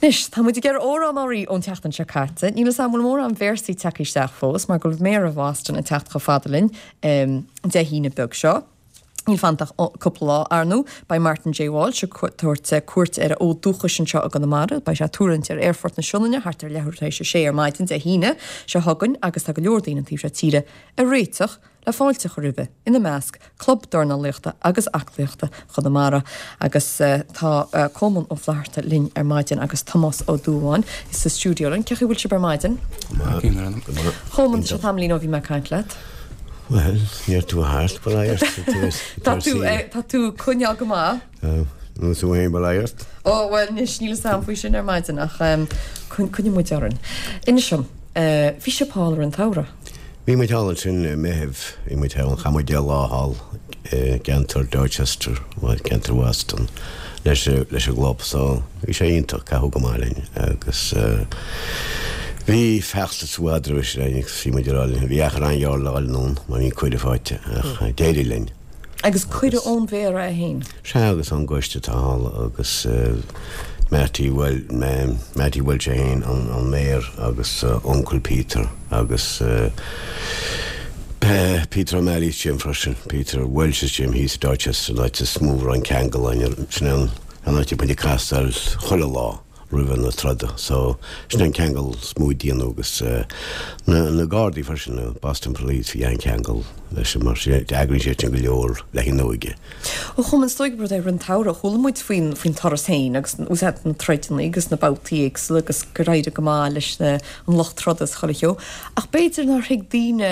Anois, tá muid ag iarraidh amhrán oraibh ón tseachtain seo caite. Níl 'fhios a'm an bhfuil mórán véarsaí tagtha isteach fós mar go bhfuil Méara Bhoston ag teacht chomh fada linn Dé hAoine beag seo. Níl fanta ach cúpla lá, ar ndóigh. Beidh Martin J Walsh ag tabhairt cuairt ar a fhód dúchais anseo i gConamara. Beidh sé ag tuirlingt ar Aerfort na Sionainne thart ar leathuair tar éis a sé ar maidin Dé hAoine seo chugainn agus tá go leor daoine an taobh seo tíre ag réiteach le fáilte a chur roimhe, ina measc, Club Dornálaíochta agus Aclaíochta Chonamara. Agus tá Colmán Ó Flatharta linn ar maidin agus Tomás Ó Dúbháin sa stiúideo linn. Cén chaoi a bhfuil sibh ar maidin? Go maith. Colmán, tá sé tamaillín ó bhí mé ag caint leat. Bhuel, níor tú thart, bail ort. Tá tú, tá tú ag coinneáil go maith. Tá, nó tú féin, bail ort. Ó, bhuel, anois, níl 'fhios a'm faoi sin ar maidin ach coinneoidh muid orainn. Inis dom, bhí sibh thall i rith an tsamhraidh? Bhí muid thall ansin i Meitheamh, bhí muid thall, chaith muid 10 lá thall i gceantar Dorchester, bhuel, ceantar Boston, leis, leis an gclub, so bhí sé iontach, caitheadh go maith linn agus bhí feachtas i bhfad roimhe sin againn agus bhí muid ag rá linn, bhí achar an-ghearr le dhul anonn mar bhí an cuireadh faighte ach d'éirigh linn. Agus cuireadh ón Mhéara é féin? Sea, agus ón gcoiste atá thall agus Mattie, bhuel, Mattie Walsh é féin, an Mayor agus uncail Peter agus Peter O'Malley's Gym freisin, Peter Walsh's Gym thíos i Dorchester, an áit is mó a raibh an ceangal ann, sin an áit a bhí muid ag castáil chuile lá. roimhe na troda so sin an ceangal is mó a déanadh agus na na Gardaí freisin, na Boston Police, bhí an-cheangal leis mar sin d'eagraigh siad sin go leor le haghaidh an óige. Ó Cholmáin, is dóigh gurb rud é i rith an tsamhraidh, chuala muid faoin faoin turas féin agus úsáid na troideanna agus na babhtaí éagsúla agus gur éirigh go maith leis na an lucht troda is chuile cheo ach b'fhéidir nár thuig daoine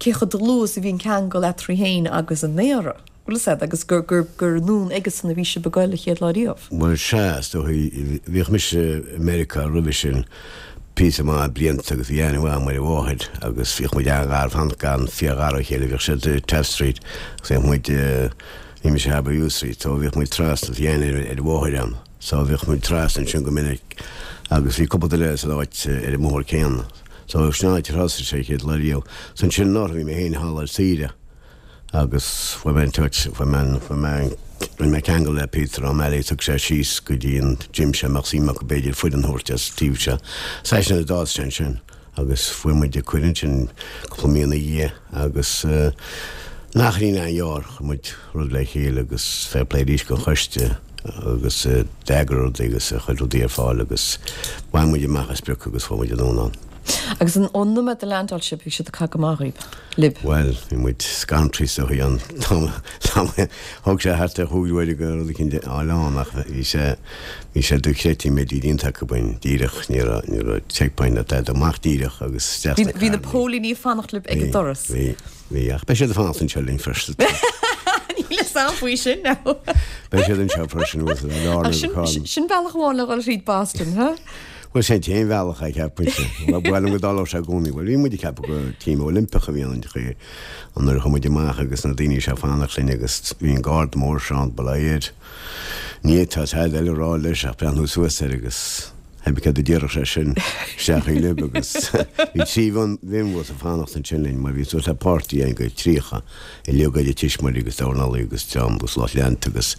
cé chomh dlúth is a bhí an ceangal eatarthu féin agus an Méara. Bhfuil fhios a'd, agus gur, gur, gur anonn aigesan a bhí sibh ag goil an chéad lá riamh. Bhuel, sea, is dóigh, bhíodh mise i Meiriceá roimhe sin píosa maith blianta agus bhí aithne mhaith agam ar a mháthair agus bhíodh muid an-ghar, fan, gan fíor-ghar ó chéile, bhíodh siad i Taft Street agus bhíodh muid, bhí mise i Harbour View Street so bhíodh muid trasna, bhí aithne ar a mháthair agam so bhíodh muid trasna ansin go minic agus bhí cúpla duine san áit ar an mbóthar céanna so sin an áit ar thosaigh sé an chéad lá riamh. So ansin anuraidh bhí mé féin thall ar saoire. agus fuair mé an touch, fuair mé an, fuair mé an, rinne mé ceangal le Peter O'Malley, thug sé síos go dtí an gym seo, mbeadh suim acu b'fhéidir foireann a thabhairt as taobh seo. Seisean a d'fhás sé ansin agus fuair muid an cuireadh ansin cúpla mí ina dhiaidh agus in achairín an-ghearr, chuir muid rud le chéile agus fair play arís don choiste agus d'eagraigh rudaí agus a chuir rudaí ar fáil agus bhain muid amach an sprioc agus fuair muid anonn ann. Agus ón nóiméad a leaindeáil sibh, bhí siad ag caitheamh go maith dhaoibh, libh? Bhuel, bhí muid scanraithe is dóigh an t-am, thóg sé thart ar chúig uaire go rud eicínt a fháil ann ach bhí sé, bhí sé dochreidte an méid a bhí déanta acu againn díreach, ní raibh, ní raibh checkpoint ná tada, amach díreach agus isteach sna Bhí na póilíní ag fanacht libh ag an doras. Bhí, bhí, ach beidh siad ag fanacht anseo linn freisin. Níl fhios a'm faoi sin now. Beidh siad anseo freisin, Sin bealach amháin le dhul thríd Boston, huh? Bhuel, sin an t-aon bhealach a cheapfainnse. Ba mhaith liom go dtarlódh sé i gcónaí. Bhuel, bhí muid ag ceapadh gur team Oilimpeach a bhí ann, an nuair a chuaigh muid amach agus na daoine seo ag fanacht linn agus bhí an garda mór seo ann, bail ó Dhia air. Ní fhéadfá tada eile a rá leis ach breathnú suas air agus theip céard a déarfadh sé sin isteach i libh agus bhí 3 mhionbhus ag fanacht ansin linn mar bhí suas le páirtí againn go 30. uilig idir tuismitheoirí agus dornálaí agus dream agus lucht leanta agus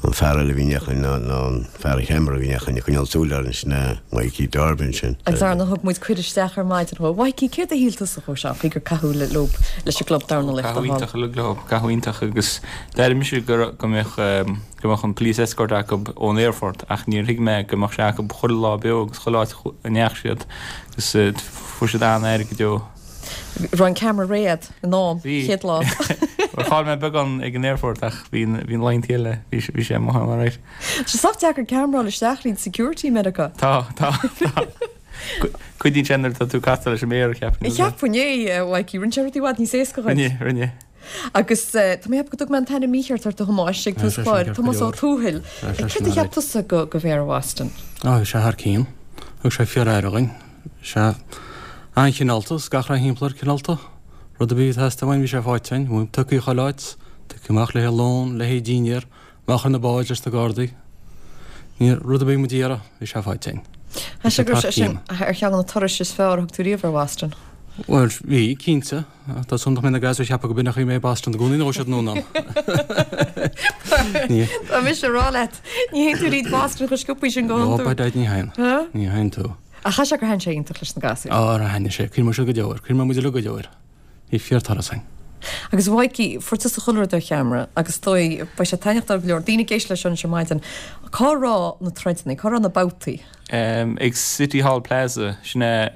an fear eile a bhí in éineacht linn ná ná an fear an cheamara a bhí in éineacht linn ag coinneáil súil orainn sin é Mikey Darby ansin. Agus ar ndóigh thug muid cuireadh isteach ar maidin dhó. Mhaidhcí, céard a shíl tusa dhó seo, faoi gur caitheadh le leo leis an gclub dornálaíochta Caitheadh iontach uilig leo, caitheadh iontach agus d'airigh mise go raibh, go mbeadh, go mbeadh an police escort acu ón aerfort ach níor thuig mé go mbeadh sé acu chuile lá beo agus chuile áit a ndeachaigh siad agus fuair siad an-aire go deo. Raibh an ceamara réidh in am, Bhí. chéad lá. Bhuel, chaill mé beagán ag an aerfort ach bhí na bhí na laethanta eile, bhí sé bhí sé amuigh ann alright. Tá sé sách deacair ceamara a fháil isteach thríd security i Meiriceá. Tá, tá, tá. Cuidíonn sé nuair atá tú ag castáil leis an méara, cheapfainn. Cheapfainn é, a Mhaidhcí. Rinne sé rudaí i bhfad níos éasca dhuit. Rinne, rinne. Agus tá mé ag ceapadh go dtug mé an t-ainm mícheart ort a Thomáis ag tús an chláir, Tomás Ó Tuathail. Céard a cheap tusa go Mhéara Bhoston? Á, bhí sé thar cionn. Thug sé fíor-aire dhuinn. Sea. An-chineálta, is gach raon thimpeall air cineálta. Rud ar bith a theastaigh uainn bhí sé faighte againn. Bhí tugtha chuile áit, tugtha amach le haghaidh lón, le haghaidh dinnéar, amach ar na báid leis na Gardaí. Ní rud ar bith muid a iarraidh, bhí sé faighte againn. Tá sé go raibh sé sin ar cheann de na turais is fearr a thug tú riamh ar Bhoston. Bhuel, bhí, cinnte. Tá súil agam nach mbeidh na gasúir ag ceapadh go b'in an chaoi a mbeidh Boston i gcónaí nuair a ghabhfaidh siad anonn ann. Tá mise ag rá leat, ní théann tú thríd Boston chomh sciobtha sin go hiondúil. Ó, by dad, ní théann. Ní théann tú. Ach chaithfeadh sé gur thaitin sé iontach leis na gasúir. Á, thaitnigh sé. Cuimhneoidh siad go deo air. Cuimhneoidh muid uilig go deo air. Bhí fíorturas againn. Agus a Mhaidhcí, fuair tusa chuile rud ar cheamara agus is dóigh, beidh sé taitneamhach do go leor daoine ag éisteacht leis seo anois ar maidin. Cá raibh na troideanna? Cá raibh na babhtaí? Ag City Hall Plaza, sin é,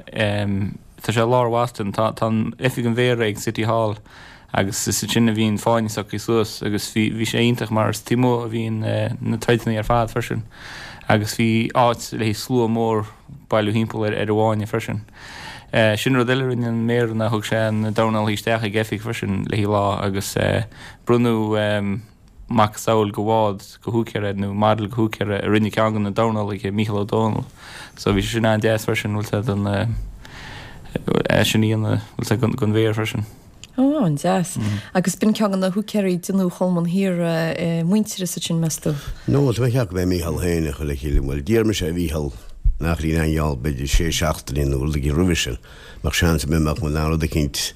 tá sé i lár Bhoston, tá tá an oifig an mhéara ag City Hall agus is ansin a bhíonn fáinne socraithe suas agus bhí bhí sé iontach mar is taobh amuigh a bhíonn na troideanna ar fad freisin agus bhí áit le haghaidh slua mór bailiú thimpeall ar ar an bhfáinne freisin. Sin rud eile a rinne an Méara ná thug sé na dornálaithe isteach ag oifig freisin le haghaidh lá agus bronnadh macasamhail de bhád de húicéir air nó model de húicéir a rinne ceann de na dornálaithe, Mícheál Ó Domhnaill. So bhí sé sin an-deas freisin, bhfuil sé don é sin a dhéanamh, bhfuil sé don Mhéara freisin. Ó, an-deas. Agus b'in ceann de na húicéirí a déanadh Cholmáin Thiar muintearas ansin, meas tú? No, tá mé ag ceapadh go mb'é Mícheál féin a chuir le chéile. Bhuel, d'iarr mise ar Mhícheál nach raibh aon gheall b'fhéidir sé seachtainí nó rud éigin roimhe sin. mbeadh seans ar bith mbeadh muid in ann rud eicínt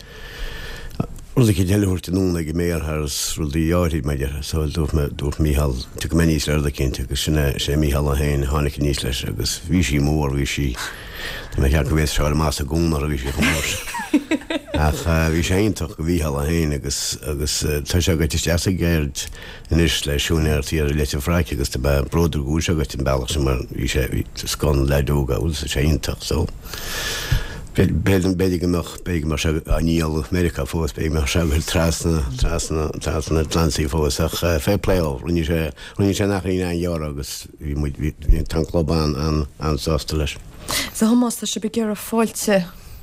rud eicínt eile a thabhairt anonn ag an Méara thar rudaí áirid mar déarfá. So dúirt mé dúirt Mícheál tiocfaidh mé aníos le rud eicínt agus sin é sin é Mícheál é féin a tháinig aníos leis agus bhí sí mór bhí sí tá mé ag ceapadh go bhféadfadh sé a amach as an gcónair bhí sí chomh mór sin. Ach bhí sé iontach do Mhícheál é féin agus agus tá sé gaibhte isteach sa gceird anois le siúinéireacht thiar i Leitir Fraic agus tá mé bródúil go bhfuil sé gaibhte an bealach sin mar bhí sé bhí scoth na leaid óga bhfuil sé iontach so b'fhéidir b'fhéidir go mbeadh b'fhéidir go mbeadh sé á ndíol i Meiriceá fós b'fhéidir go mbeadh sé ag goil trasna trasna trasna an Atlantaigh fós ach fair play dó rinne sé rinne sé nach raibh aon ghearradh agus bhí muid bhí bhí an club an an an-sásta leis. So Thomas tá sibh ag iarraidh fáilte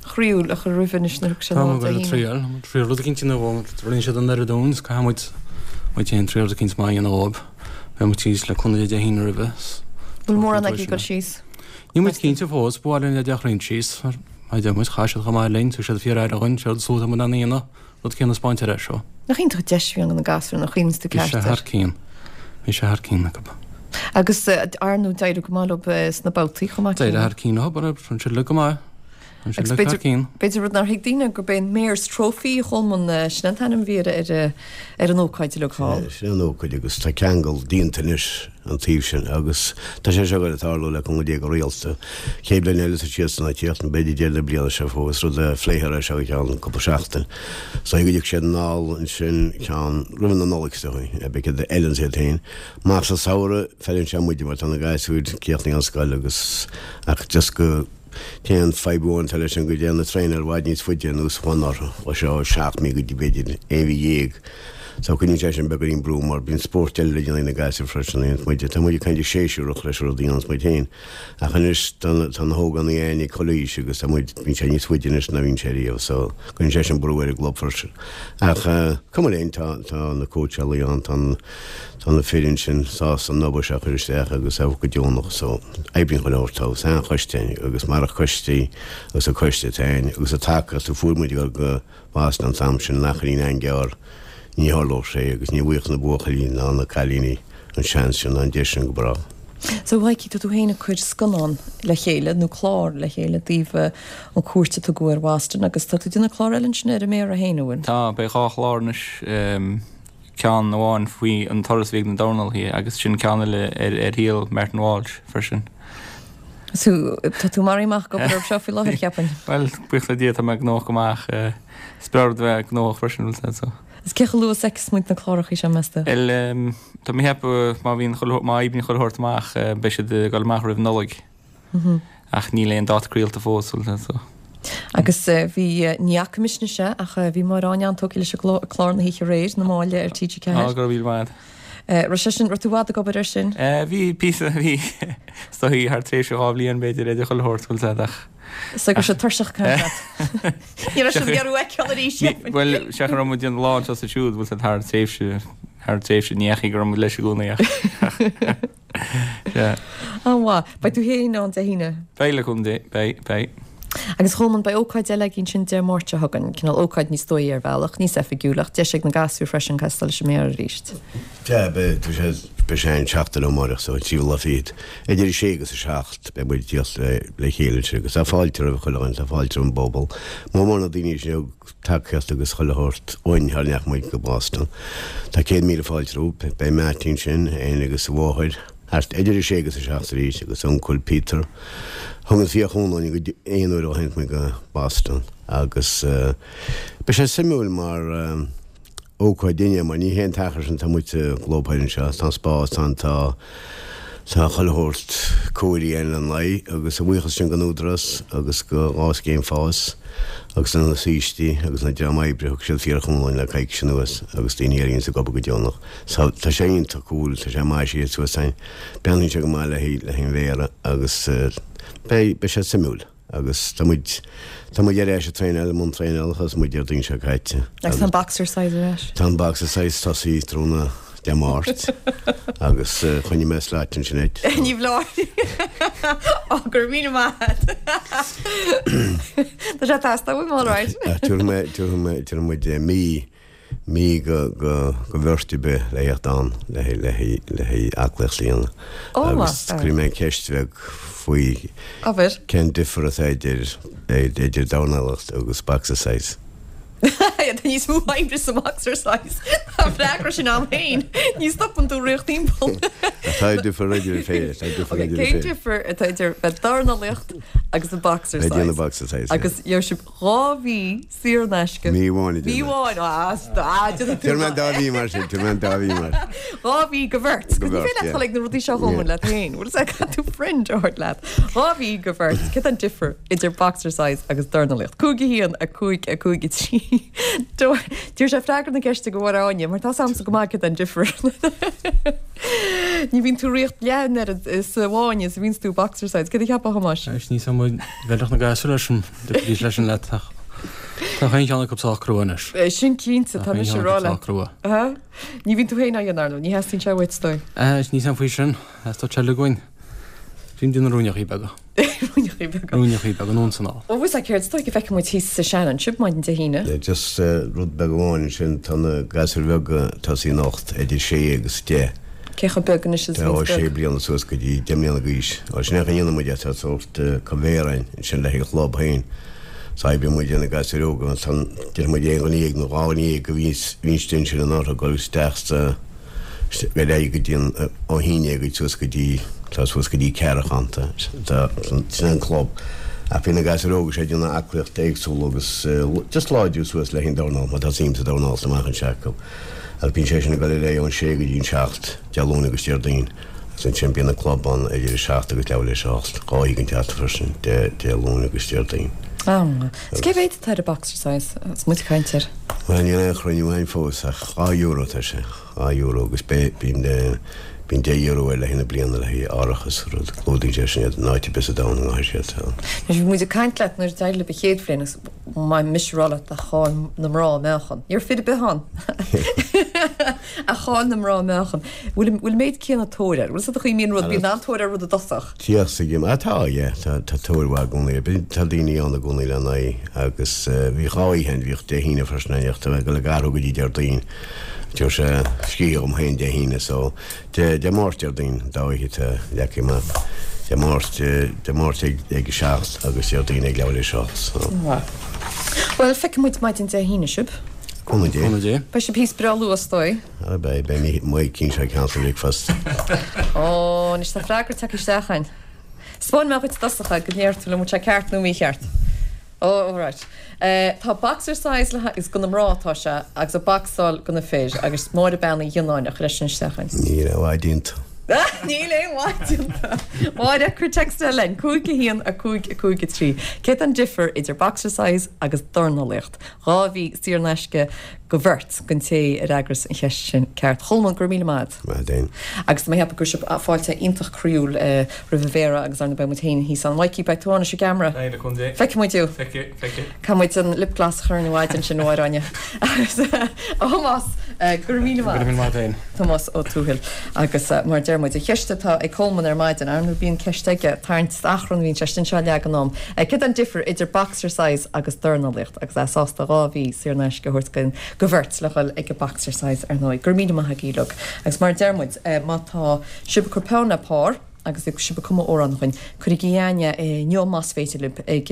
chroíúil a chur roimhe anois nuair a thiocfaidh sé an lá Dé Haoine. Triail, triail rud eicínt a dhéanamh dóibh, rinne siad an oiread dúinn is caithfidh muid muid féin triail rud eicínt maith a dhéanamh dóibh. Beidh muid síos le cúnamh Dé Dé hAoine roimhe. Bhfuil mórán agaibh ag dul síos? Níl muid cinnte fós, ba mhaith linn leaid a tharraingt síos, mar a deir muid, chaith siad chomh maith linn, thug siad fíor-aire dhúinn, séard is atá muid in ann a dhéanamh, rud céanna a 'spáint ar ais dóibh. Nach iontach an deis a bhí ann do na gasúir nuair a chuimhníonns tú Bhí ceart sé air. thar cionn. Bhí sé thar cionn acu. Agus ar ndóigh d'éirigh go maith leo sna babhtaí chomh maith D'éirigh céanna. thar cionn leo, rinne siad uilig go maith. Agus b'fhéidir, b'fhéidir rud nár thuig daoine gurb é an Mayor's Trophy a Cholmáin, sin an t-ainm a bhí ar, ar, ar an ócáid uilig thall. Sin an ócáid agus tá ceangal déanta anois an taobh sin agus tá sé seo ag goil ag tarlú le cúnamh Dé go rialta. Chéad bhliain eile tá siadsan ag tíocht, nó b'fhéidir deireadh na bliana seo fós, rud a phléifear é seo i gceann cúpla seachtain. So go dtiocfaidh siad anall ansin ceann roimh na Nollag is dóigh, beidh siad eile iad féin. Amach sa samhradh feileann sé muide mar tá na gasúir críochnaithe ón scoil agus ach just go T-aon fadhb amháin atá leis sin go dtéann na traenáil i bhfad níos faide anuas ná anuraidh, ó seo 7 mí go dtí b'fhéidir 11 mhí. So cuireann sé sin beagáinín brú mar bíonn spóirt eile le déanamh ag na gasúir freisin a dhéananns muide. Tá muid kind of séasúrach leis an rud a dhéananns muid féin. Ach anois tá tá na hógánaigh againn ag chuile aois agus tá muid, bíonn sé níos faide anois ná bhíonn sé riamh so cuireann sé sin brú ar an gclub freisin. Ach cuma linn, tá tá na cóitseálaí ann, tá an Tá na fir ansin sásta an obair seo a chur isteach agus a bheith go deonach so oibríonn chuile shórt tá an-choiste againn agus marach coistí agus an coiste atá againn agus an tacaíocht a fuair muid ag dul go Boston an t-am sin nach raibh aon ghearr ní tharlódh sé agus ní bhfaigheadh na buachaillí ná na cailíní an seans sin ná an deis sin go brách. So Mhaidhcí, tá tú féin ag cur scannán le chéile nó clár le chéile i dtaobh an cuairt a tugadh ar Bhoston agus tá tú ag déanamh clár eile ansin ar an Méara féin, an bhfuil? Tá, beidh dhá chlár anois. ceann amháin faoi an turas a bhí ag na dornálaithe agus sin ceann eile ar ar shaol Martin Walsh freisin. So, tá tú maraithe amach ag obair orthu seo faoi láthair, cheapfainn. Bhuel, buíochas le Dia tá mé gnóthach go maith ach is breá rud a bheith gnóthach freisin, bhfuil a fhios agat, so. Is cé chomh luath is a fheicfeas muid na cláracha seo, meas tú? Bhuel, tá mé ag ceapadh má bhíonn chuile, má oibríonn chuile shórt amach beidh siad ag dul amach roimh Nollaig. Ach níl aon dáta craolta fós, bhfuil a fhios agat, so. Agus bhí, ní fhaca mise anois é, ach bhí Máire Áine an-tógtha leis an gclár na hoíche aréir, Na Máille ar TG4. Á, go raibh míle maith agat. Raibh sé sin, raibh tú i bhfad ag obair air sin? Bhí píosa, bhí, is dóigh thar tréimhse dhá bhliain b'fhéidir idir chuile shórt, bhfuil a fhios agat, ach. Is go raibh siad tuirseach ag caint leat. Ní raibh siad ag iarraidh a fheiceáil arís. Bhuel, sea go raibh muid ag déanamh lá anseo is ansiúd, bhfuil a fhios agat, thar tréimhse, thar tréimhse, ní dheachaigh go raibh muid leis i gcónaí ach. Sea. An-mhaith. Beidh tú féin ann Dé hAoine? Beidh, le cúnamh Dé. Beidh, beidh. Agus a Cholmáin, beidh ócáid eile againn ansin Dé Máirt seo chugainn, cineál ócáid níos dóigh ar bhealach, níos oifigiúil, ach deis ag na gasúir freisin castáil leis an Méara arís. Sea, beidh. Tá sé. Beidh sé an tseachtain ó amárach so an tríú lá fichead. Idir a sé agus a 7 beidh muid ag tíocht le chéile ansin agus tá fáilte roimh chuile dhuine, tá fáilte roimh an bpobal. Mór mór na daoine sin a thug tacaíocht agus chuile shórt dhúinn sara ndeachaigh muid go Boston. Tá 100,000 fáilte rompu. Beidh Mattie ansin, é agus a mháthair, thart idir a sé agus a 7 arís agus a uncail Peter. Thug an fíorchúnamh dúinn go aon uair ó tháinig muid go Boston agus beidh sé suimiúil mar ócáid dúinne mar ní hé an t-achar sin tá muid sa gclub thoir anseo, tá an spás ann, tá tá chuile shórt cóirithe againn lena aghaidh agus a bhuíochas sin don Údarás agus go dhá scéim fás agus do na saoistí agus na dream oibre thug siad fíorchúnamh dúinn le coicís anuas agus daoine a bhíonns ag obair go deonach. So tá sé iontach cool, tá sé maisithe suas againn, breathnaíonn sé go maith le haghaidh le haghaidh an mhéara agus beidh beidh sé suimiúil. Agus tá muid, tá muid ar ais ag traenáil, i mbun traenála, thosaigh muid Déardaoin seo caite. Agus tá an boxercise ar ais. Tá an boxercise tosaithe tráthnóna Dé Máirt agus choinnigh mé slot ansin duit. Ní bhleá. Ó, go raibh míle maith agat. Tá sé ag teastáil uaim, all right. Tabharfaidh mé, tabharfaidh mé, tabharfaidh muid mí mí go bheirt ar bith le theacht ann le haghaidh aclaíocht a dhéanamh. Agus cuirfidh mé ceist bheag faoi cén difear atá idir idir dornálaíocht agus boxercise. Tá níos mó oibre sa boxercise. Tá an freagra sin ann féin. Ní stopann tú ag rith timpeall. Tá difear idir fé. Cén difear atá idir bheith dornálaíocht agus an boxercise? Bheith ag déanamh boxercise. Agus gheobhaidh sibh 2 mhí saor in aisce. Mí amháin a Mí amháin, ah, ah, déanfaidh tú. Tabhair mé an dá mhí mar sin, tabhair mé an dá mhí mar. 2 mhí go bheirt. Go bheirt, yeah. Ní féidir leat dul ag na rudaí seo a Cholmáin leat féin. Bhfuil sé caithfidh tú friend a thabhairt leat. 2 mhí go bheirt. Céard an difear idir boxercise agus dornálaíocht? 5 1 5 5 3. D'iarr sé freagra na ceiste go Mháire Áine, mar tá 's a'msa go maith céard an difear. Ní bhíonn tú ag rith leath an oiread sa bhfáinne is a bhíonns tú boxercise. Céard a cheapfá a Thomáis? Anois níl 's a'm an bhfeilfeadh na gasúir leis an dtiocfaidís leis an leat ach tá chaon cheann acu sách crua anois. Sin cinnte, tá mise ag rá leat. crua. Ní bhíonn tú féin á dhéanamh ar ndóigh, ní theastaíonn sé uait, is dóigh. Níl 's a'm faoi sin, theastódh sé uilig uainn. Bím ag déanamh ruainneachaí beaga. Ruainneachaí beaga. Ruainneachaí beaga anonn is anall. Bhuel, bhfuil céard is dóigh go bhfeicfidh muid thíos sa Shannon sibh maidin Dé hAoine. Just rud beag amháin ansin, tá na gasúir bheaga ag tosaí anocht idir sé agus deich. Cé chomh beag anois is a Tá ó bhíonns sé beag? bliana suas go dtí 10 mbliana d'aois. Ó sin é a dhéanann muid é, tá sórt coimhéar againn ansin le haghaidh an chlub féin. So oibríonn muid ar na gasúir óga, ansan déarfaidh muid aon dhuine dhéag nó dhá dhuine dhéag a bhíonns bhíonns ansin in orthu dul isteach sa ar aghaidh go dtí an ó haon déag suas go dtí tá suas go dtí ceathracha ann tá tá sin an club. Ach bíonn na gasúir óga seo ag déanamh aclaíocht éagsúla agus just láidriú suas le haghaidh an dornál mar tá suim sa dornálaíocht amach anseo acu. Agus bíonn sé sin ag dul ar aghaidh ón sé go dtí an seacht, Dé Luain agus Déardaoin. Agus ansin bíonn an club ann idir a seacht agus leathuair théis a hocht, dhá oíche den tseachtain freisin, Dé Dé Luain agus Déardaoin. Ah, is cé mhéad atá ar an boxercise agus muid ag caint air? Bhuel, níl aon chruinniú againn fós ach €2 atá sé, €2 agus beidh, bíonn, bíonn €10 air le haghaidh na bliana le haghaidh árachas, rud, clúdaíonn sé sin iad in áit ar bith sa domhan a ngabhfaidh siad. Anois bhí muid ag caint leat nuair a d'éirigh libh an chéad bhliain agus Mhaith mise a rá leat ach chaill na mná meáchan. Ní raibh fir ar bith ann. Ach chaill na mná meáchan. Bhfuil bhfuil an méid céanna tóir air? Bhfuil 's a'd an chaoi a mbíonn rud, bíonn an-tóir ar rud i dtosach. Tíocht sa gym. Ah tá, yeah, tá tá tóir mhaith i gcónaí air. Bíonn tá daoine ann i gcónaí lena aghaidh agus bhíodh dhá oíche ann, bhíodh Dé hAoine freisin ann, ach tá mé ag dul ag athrú go dtí Déardaoin. Tabharfaidh sé scíth dhom féin Dé hAoine so Dé Dé Máirt Déardaoin, dá oíche atá leagtha amach. Dé Máirt, Dé Máirt ag ag a 7 agus Déardaoin ag leathuair théis a 8 so. Bhuel, feicfidh muid maidin Dé hAoine sibh. Cúnamh Dé. Cúnamh Dé. Beidh sibh thíos breá luath, is dóigh. Ara beidh, beidh Mike anseo ag cancel breakfast. Ó, anois tá freagra tagtha isteach againn. Spáinfidh mé dhuit i dtosach é go ndéarfaidh tú liom an bhfuil sé ceart nó mícheart. Ó, right. Tá boxercise le haghaidh, is do na mná atá sé, agus a bacsáil do na fir, agus Máire Bean Uí Ghionnáin a chuir é sin isteach againn. Níl aon mhaith déanta. Níl aon mhaith déanta. Máire, cuir text eile chugainn, 5 1 5 5 3. Céard an difear idir boxercise agus dornálaíocht? 2 mhí saor in aisce go bheirt don té a fhreagras an cheist sin ceart. Cholmáin, go raibh míle maith agat. Maith agat. Agus tá mé ag ceapadh go raibh sibh fáilte iontach croíúil roimh an Mhéara agus ar ndóigh beidh muid féin thíos ann. Mikey, beidh tú ann leis an gceamara. Beidh, le cúnamh Dé. Feicfidh muid thú. Feicfidh, feicfidh. Caithfidh muid an lip gloss a chur orainn ar maidin sin, a Mháire Áine. Agus, a Thomáis. Go raibh míle maith. Go raibh míle maith agat féin. Tomás Ó Tuathail. Agus mar a deir muid, an cheist atá ag Colman ar maidin, ar ndóigh bíonn ceist aige, tarraingt achrann a bhíonn sé sin seo leagan am. Céard é an difear idir boxercise agus dornálaíocht? Agus é sásta 2 mhí saor in aisce a thabhairt don bheirt le dhul ag an boxercise ar ndóigh. Go raibh míle maith agaibh uilig. Agus mar a deir muid, má tá sibh ag cur peann le pár, agus ag sibh ag cumadh amhrán chugainn, cuirigí chugainn é inniu más féidir libh ag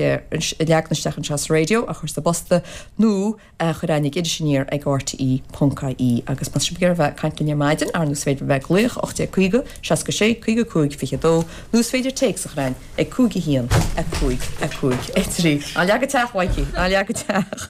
leagan isteach anseo sa raidió, a chur sa bposta nó a chur chugainn ag Iris Aniar ag RTE ponc ie agus más sibh ag iarraidh bheith ag caint linn ar maidin, ar ndóigh is féidir bheith ag glaoch 1850 66 55 22 nó is féidir téacs a chur chugainn ag 5 1 5 5 3. Ná leag an teach, Mhaidhcí, ná leag an teach.